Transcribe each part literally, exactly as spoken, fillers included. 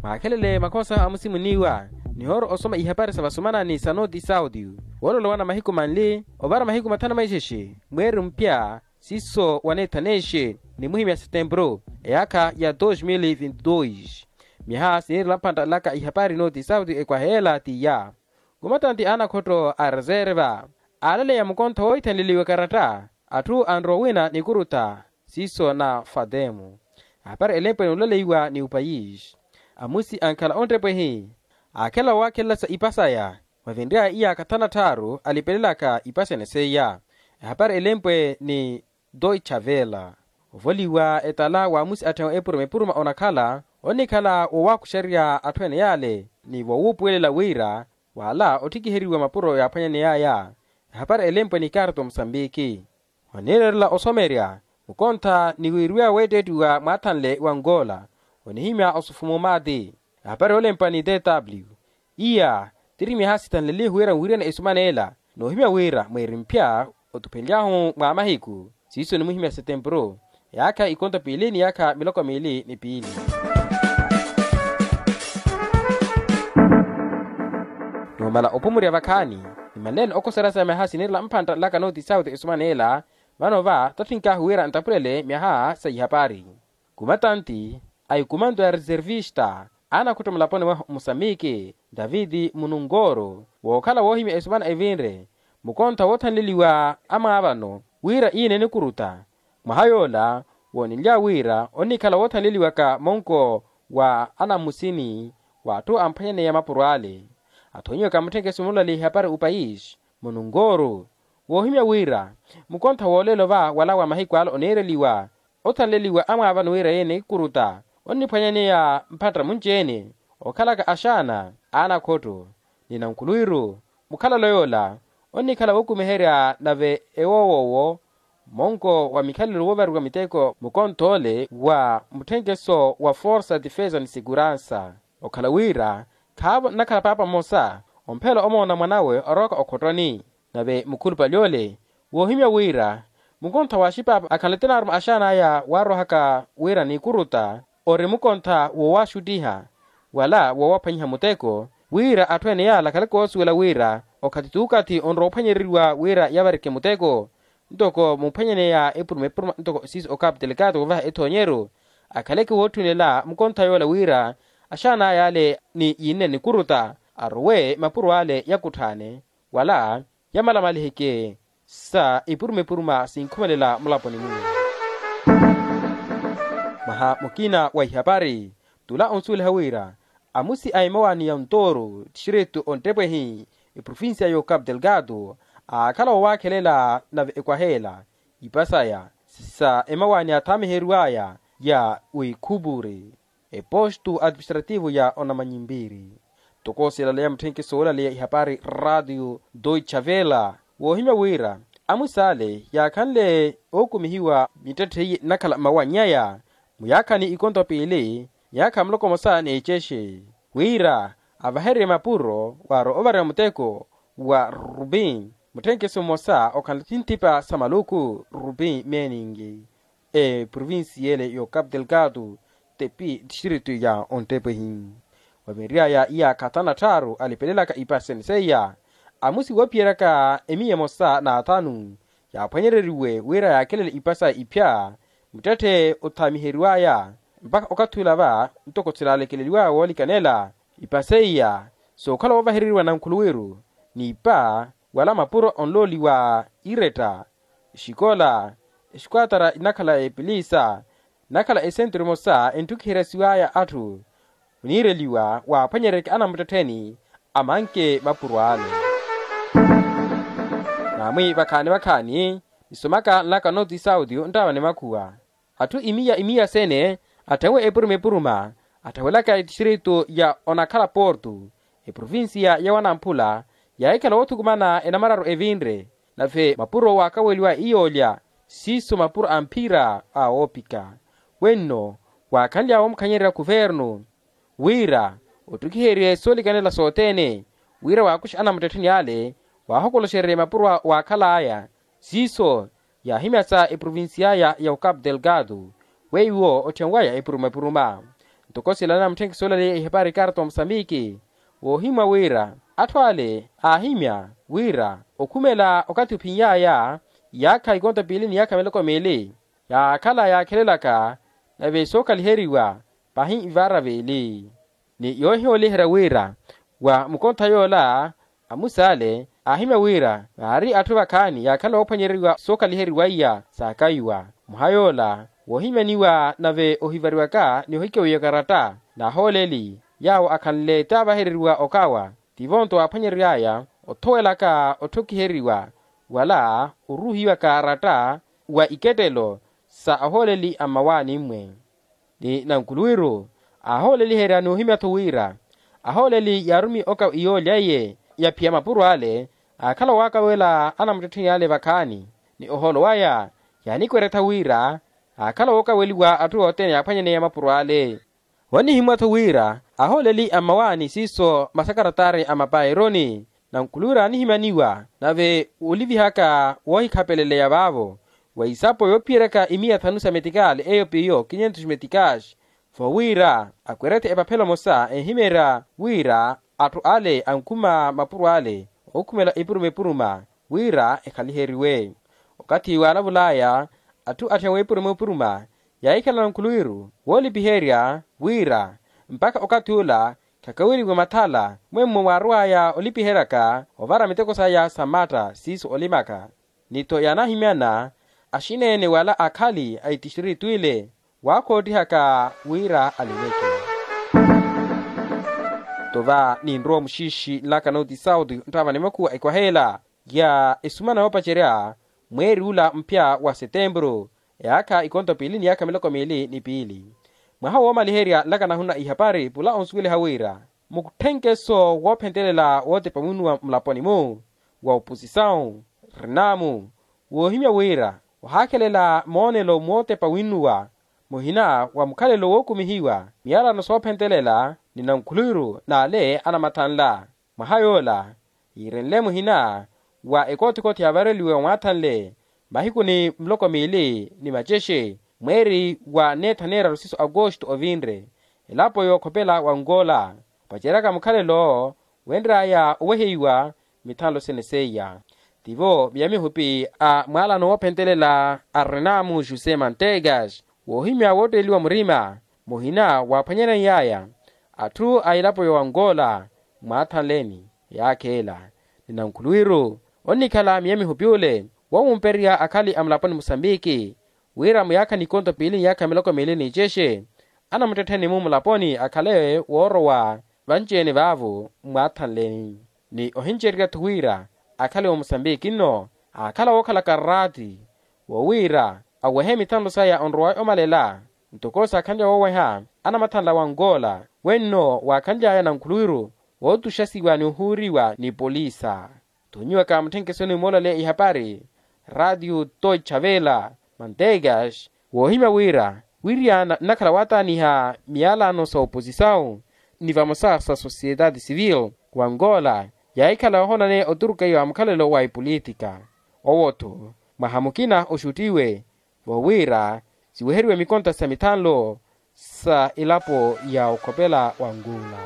Aakhelele makhosa amusimuniwa nihooro osoma ihapari sa vasumana ni sa noti sauti. Woololowana mahiku manli ovara mahiku mathanu maixexe mweeri mpya siiso waneethaneexe ni muhimya setempuru eyaakha ya dos mil vinti dos. Myaha siniirela mphantta laka ihapari noti sauti ekwaheela tiya. Kumatanti anakhotto a reserva aalaleya mukontho woithanleliwa karatta atthu anrowa wina nikurutta siiso na fatemu. Ahapari elempwe ni ulaleiwa ni upayisi amusi ankhala onttepwehi aakhela waakhelela sa ipa saya. Wavinryaya iyaakha thanu na tthaaru alipelelaka ipa sene seiya. Ehapari elempwe ni doitchavela ovoliwa etala wa amusi atthenwe epuruma epuruma onakhala onnikhala wowaakuxererya atthu ene yale ni wowuupuwelela wira wala otthikiheriwa mapuro yaaphwanyaneyaya. Ehapari elempwe ni karto musambiki oniirerela osomerya mukontha ni wiiriwaya weetteettiwa mwaathanle wa ngola onihimya osufumu maati. Ehapari yoolempa ni tw iya tiri myaha sithanlelihu wira nwiriyane esumana ela noohimya wira mweeri mphya otuphenly'ahu mwa mahiku siiso nimuhimya setempuru eyaakha ikonto piili ni yaakha miloko miili ni piili. Numala opumurya vakhaani nimanleeni okoserya sa myaha siniirela mphantta laka noti sauti esumana ela. Vano va tathink'ahu wira ntapulele myaha sa ihapari kumatanti a ikumanto ya reservista anakhutto mulaponi mwahu musambiki davidi munungoro wookhala woohimya esumana evinre mukontha woothanleliwa amwaavano wira iye ninikurutta. Mwaha yoola wooninlya wira onnikhala woothanleliwaka monko wa anamusini w'atthu amphwanyaneya mapuro ale athonyiwaka mutthenkeso mulale ihapari upayisi munungoro woohimya wira mukontha wooleelo va wala wa mahiku ala oniireliwa othanleliwa amwaavano wira iye nikuruta onniphwanyaneya mphatta munci-ene okhalaka axaana anakhotto ni nankhuluwiru. Mukhalalo yoola onnikhala wookumiherya nave ewowoowo monko wa mikhalelo woovariwa miteko mukontho ole wa mutthenkeso wa forsa defesa ni seguransa okhala wira khaavo nnakhala paapa mmosa omphela omoona mwanawe orowaka okhottoni. Nave mukhulupale ole woohimya wira mukontha wa axipaapa akhala tinaaruma axaan'aya waarowahaka wira nikuruta ori mukontha woowaxuttiha wala woowaphwanyiha muteko wira atthu ene yaala akhaleke oosuwela wira okathi t'ukathi onrowa ophwanyereriwa wira yavarike muteko ntoko muphwanyaneya epuruma epuruma ntoko siiso okapu telekato wovaha ethoonyeru akhaleke wootthunela mukontha yoola wira axaan'aya ale ni yiinne nikuruta arowe mapuro ale yakutthaane wala yamalamaliheke sa ipuruma epuruma sinkhumelela mulaponi-mu. Mwaha mukina wa ihapari tula onsuweliha wira amusi a emawaani ya ontooro tixiritu onttepwehi eprovincia y'okapu telekato aakhala woowaakhelela nave ekwaheela ipa saya sa emawaani athaamiheriw'aya ya wikhupuri epostu administrativu ya onamanyimpiri. Toko silaleya mutthenkeso woolaleya ihapari ratio doitchavela woohimya wira amusi ale yaakhanle ookumihiwa mittetthe iye nnakhala mmawanny'aya muyaakhani ikonto piili myaakha muloko mmosa n'ecexe wira avahererye mapuro waro ovariwa muteko wa rupi mutthenkeso mmosa okhanle thintipa sa maluku rupi meeningi eprovincia ele y'okapu telekato tepi tixiritu ya onttepwehi. Wavinry'aya iyaakha thanu na tthaaru alipelelaka ipa sene seiya amusi woophiyeryaka emiya emosa n'athanu yaaphwanyereriwe wira yaakhelele ipa saya iphya muttetthe othaamiheriw'aya mpakha okathi ula va ntoko silalekeleliw'aya woolikanela ipa seiya sookhala woovahereriwa nankhuluwiru n'ipa wala mapuro onlooliwa iretta exikola exikuatara inakhala epilisa inakhala esenturu emosa enttukiheryasiw'aya atthu oniireliwa waaphwanyeryeke anamuttettheni amanke mapuro ale. Namwi vakhaani vakhaani nisomaka nlaka noti sauti nttawa ni makhuwa atthu imiya imiya sene atthawuwe epuruma epuruma atthawelaka etixiritu ya onakhala portu eprovincia ya wanamphula yaahikhala woothukumana enamararu evinre nave mapuro waakaweliwa iyoolya siiso mapuro a mphira a woopika wenno waakhanly'awe omukhanyeryerya khuvernu wira ottukiherye soolikanela sothene wira waakuxe anamuttettheni ale waahokoloxererye mapuro waakhal'aya siiso yaahimyasa eprovincia ya okapu telekato weiwo otthenwaya epuruma epuruma. Ntoko sila anamutthenkisa olaleya ihapari ikarta wa musambiki, woohimwa wira atthu ale aahimya wira okhumela okathi ophiny'aya iyaakha ikonto piili ni iyaakha miloko miili yaakhala yaakhelelaka nave sookaliheriwa pahi ivaara viili. Ni yoohiyooliherya wira wa mukontha yoola amusa ale aahimya wira vaari atthu vakhaani yaakhala oophwanyeriwa sookaliheriwa iya saakaiwa. Mwaha yoola woohimyaniwa nave ohivariwaka ni ohikewiyaka ratta n'ahooleli yaawo akhanle taavahereriwa okawa, tivo nto waaphwanyery'aya othowelaka otthokiheriwa wala oruuhiwaka ratta wa ikettelo sa ahooleli a mmawaani-mwe. Ni nankhuluwiru aahooleliherya n'uhimya-tho wira ahooleli yaarumi oka iyoolya iye yaphiya mapuro ale aakhala owaakawela anamuttettheni ale vakhaani. Ni ohoolo waya yaanikwerya-tho wira aakhala wookaweliwa atthu othene yaaphwanyaneya mapuro ale. Onihimwa-tho wira ahooleli a mmawaani siiso masakaratari a mapaironi nankhuluwiru aanihimyaniwa nave olivihaka woohikhapeleleya vaavo wa isapo yoophiyeryaka imiya thanu sa metikaali eyo piyo kinyentos metikaxi. Vo wira akwerya-tho epaphelo emosa ehimeerya wira atthu ale ankhuma mapuro ale ookhumela epuruma epuruma wira ekhaliheriwe. Okathi waalavul'aya atthu atthiya weepuruma epuruma yaahikhala nankhuluwiru woolipiherya wira mpakha okathi ula khakaweriwe mathala mwemmo waarw'aya olipiheryaka ovara miteko saya sa matta siiso olimaka. Ni-tho yaanahimyana axineene wala akhali a itistiritu ile waakhootihaka wira alimeke. Tova ninrowa muxiixi nlaka notisauti nttava ni makhuwa ekwaha ela ya esumana yoopacerya mweeri ula mphya wa setempuru eyaakha ikonto piili ni yaakha miloko miili ni piili. Mwaha woomaliherya nlaka nahuna ihapari pula onsuweliha wira mutthenkeso woophentelela wootepa winnuwa mulaponi-mu wa oposisawu rinamu woohimya wira ohaakhelela moonelo mootepa winnuwa muhina wa mukhalelo wookumihiwa miyalano soophentelela ni nankhuluwiru n'ale anamathanla. Mwaha yoola yiirenle muhina wa ekoothikoothi yaavareliwe omwaathanle mahiku ni miloko miili ni macexe mweeri wa neetha neeraru siiso agosto ovinre elapo yookhopela wa angola opaceryaka mukhalelo owo wenry'aya oweheiwa mithanlo sene seiya. Tivo miya mihupi a mwaalano woophentelela a renamu josé mantegas woohimya wootteliwa murima muhina waaphwanyaney'aya atthu a elapo ya angola mwaathanleni yaakheela. Ni nankhuluwiru onnikhala miya mihupi ole woowumperya akhali a mulaponi musambiki wira muyaakha ni ikonto piili ni yaakha miloko miili ni icexe anamuttettheni-mu mulaponi akhale woorowa vanci-ene vaavo mwaathanleni. Ni ohincererya-tho wira akhale wa musambiki nno aakhala wookhalaka raati wowiira awehe mithanlo saya onrowa omalela ntoko saakhanlya wooweha anamathanla wa angola wenno waakhanly'aya nankhuluwiru wootuxasiwa ni ohuuriwa ni polisa. Thunyiwaka mutthenkeso ni moolaleya ihapari ratiyo toicha vela mantegas woohimya wira wiriana nnakhala waataaniha miyalano sa oposisawu ni vamosa sa sosiyetati sivili wa angola yaahikhala yoohonaneya oturukeiwa mukhalelo wa epolitika. Owo-tho mwaha mukina oxuttiwe vowiira siweheriwe mikonta sa mithanlo sa elapo ya okhopela wa angola.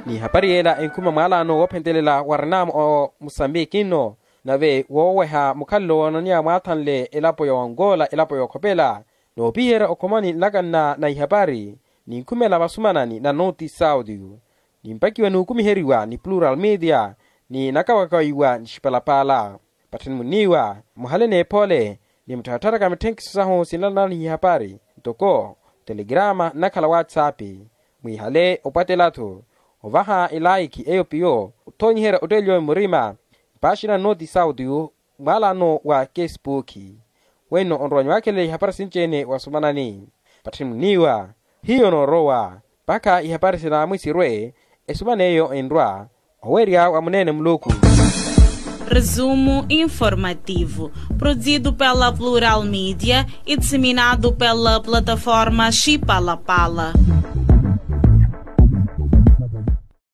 Ni hapari yeela enkhuma mwaalano woophentelela wa renamu o musambiki nno nave wooweha mukhalelo woonaneya mwaathanle elapo ya wangola elapo yookhopela. Noopiherya okhomani nlakanna na ihapari ninkhumela vasumanani na noti saudio nimpakiwa nuukumiheriwa ni plural media ni nakawakawiwa ni xipalapala. Pattheni munniiwa muhale n'ephole ni muttharatharaka mitthenkiso sahu sinlanani ihapari ntoko telegrama nnakhala whatsapp. Mwiihale opwatela-tho ovaha elaikhi eyo piyo othoonyiherya otteeliwa murima mpaaxina nnooti sauti mwaalano wa kesipuukhi. Wenno onrowa nyuwakhelela ihapari sinci-ene wasumanani. Pattheni munniiwa hiyo noorowa mpakha ihapari sinaamwi sirwe esumana eyo enrwa owerya wa muneene muluku. Resumo informativo produzido pela plural media e disseminado pela plataforma xipalapala.